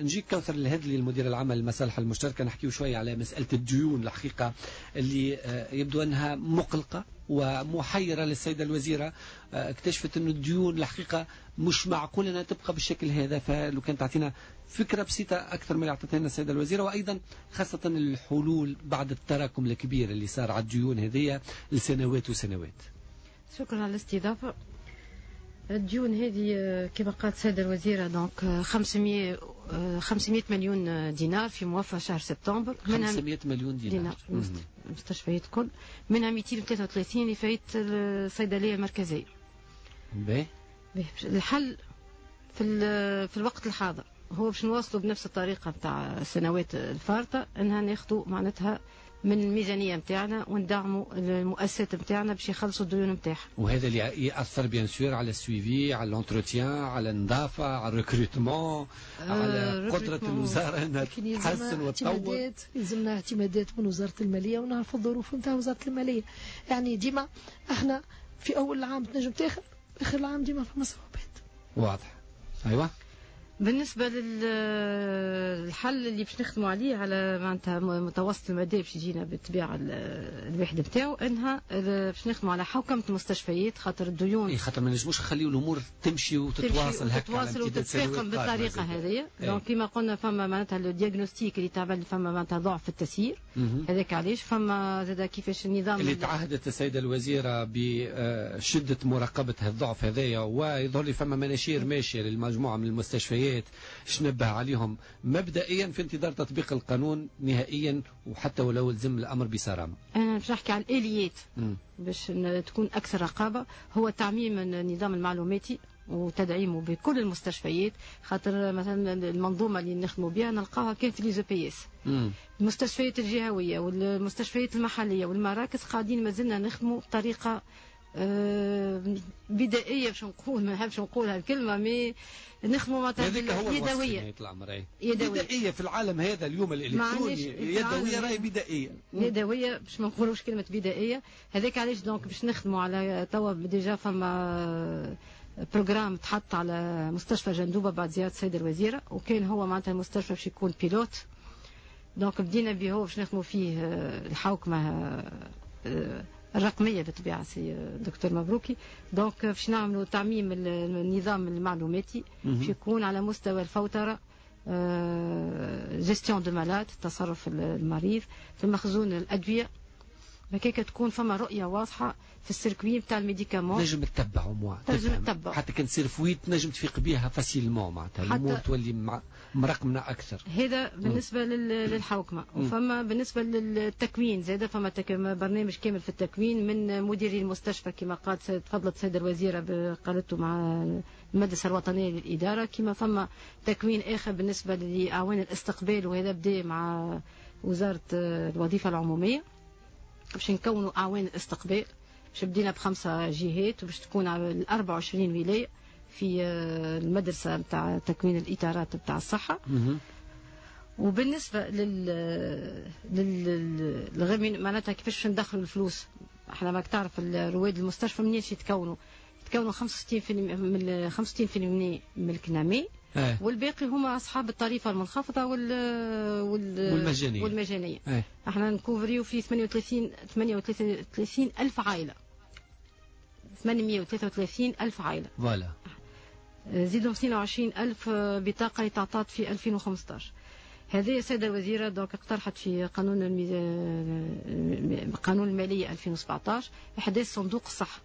نجيك كوثر الهدلي، المدير العام للمصالح المشتركة، نحكيو شوية على مسألة الديون الحقيقة اللي يبدو أنها مقلقة ومحيرة للسيدة الوزيرة. اكتشفت أن الديون الحقيقة مش معقول أنها تبقى بالشكل هذا، فلو كان تعطينا فكرة بسيطة أكثر من اللي أعطتها لنا السيدة الوزيرة، وأيضا خاصة الحلول بعد التراكم الكبير اللي صار على الديون هذه لسنوات وسنوات. شكرا على الاستضافة. الديون هذه كما قالت السيدة الوزيرة donc 500 مليون دينار في موفى شهر سبتمبر. 500 مليون دينار المستشفيات كل، منها 233 لفاية الصيدلية المركزية. باهي. الحل في الوقت الحاضر هو باش نواصلوا بنفس الطريقة نتاع السنوات الفارطة، انها ناخذوا معناتها من الميزانية نتاعنا وندعموا المؤسسات نتاعنا باش يخلصوا الديون نتاعها. وهذا اللي ياثر bien sûr على ال suivi، على l'entretien، على النظافه، على ال recrutement، على قدره الوزارة انها تحسن وتطور. يلزمنا اعتمادات من وزارة المالية ونعرفوا الظروف نتاع وزارة الماليه. يعني ديما احنا في اول العام تنجم تاخذ، اخر العام ديما فما صعوبات. واضح. ايوه. بالنسبة للحل اللي باش نخدموا عليه على معناتها متوسط المدى باش يجينا بالطبيعة الوحدة نتاعو، انها باش نخدموا على حوكمة المستشفيات، خاطر الديون اي خاطر ما نجموش نخليو الامور تمشي وتتواصل هكا، تتواصل وتتفاقم بالطريقة هذه. donc كيما قلنا فما معناتها le diagnostic اللي تعمل، فما معناتها ضعف في التسيير، هذاك علاش فما زاد كيفاش النظام اللي تعهدت السيدة الوزيرة بشدة مراقبة الضعف هذايا، ويظهر لي فما مناشير ماشية للمجموعة من المستشفيات نبه عليهم مبدئيا في انتظار تطبيق القانون نهائيا، وحتى ولو لزم الامر بصرامه. انا باش نحكي على الاليات باش تكون اكثر رقابه، هو تعميم النظام المعلوماتي وتدعيمه بكل المستشفيات، خاطر مثلا المنظومة اللي نخدموا بها نلقاها كان في les EPS. المستشفيات الجهوية والمستشفيات المحلية والمراكز قاعدين مازلنا نخدموا بطريقة بدائية، باش نقول ما نحبش نقول هالكلمة، mais نخدموا معناتها يدويه. يدوية بدائية في العالم هذا اليوم الالكتروني، يدوية راهي بدائية. يدوية باش ما نقولوش كلمة بدائيه. هذاك علاش donc باش نخدموا على توا déjà فما programme تحط على مستشفى جندوبه بعد زيارة السيدة الوزيره، وكان هو معناتها المستشفى باش يكون pilote، donc بدينا به هو باش نخدموا فيه الحوكمة الرقمية بالطبيعة سي دكتور مبروكي. donc باش نعملوا تعميم النظام المعلوماتي باش يكون على مستوى الفوتره، gestion de malade، تصرف المريض في مخزون الادويه، هكاك تكون فما رؤية واضحة في ال circuit نتاع ال médicament. نجم تتبع moi تنجم تتبع، حتى كان تصير fuite تنجم تفيق بها facilement، معناتها الامور تولي مرقمنه اكثر. هذا بالنسبة للحوكمه. وفما بالنسبة للتكوين زاد فما برنامج كامل في التكوين من مديري المستشفى كما قالت تفضلت السيدة الوزيرة قالته مع المدرسة الوطنية للاداره، كما فما تكوين اخر بالنسبة لاعوان الاستقبال، وهذا بدا مع وزارة الوظيفة العمومية باش نكونوا اعوان الاستقبال، باش بدينا ب5 جهات وباش تكون على 24 ولاية في المدرسة نتاع تكوين الاطارات نتاع الصحة. وبالنسبة لل معناتها كيفاش ندخلوا الفلوس، احنا ماك تعرف رواد المستشفى منين يتكونوا؟ يتكونوا 65% من 65% من الكنامي، والباقي هما اصحاب الطريفة المنخفضة والمجانيه. والمجانيه. احنا نكوفريو في 38 الف عائله، 833 الف عائلة. voilà. زيدهم 22 الف بطاقة اللي تعطات في 2015. هذه السيدة الوزيرة donc اقترحت في قانون المالية 2017 احداث صندوق الصحه.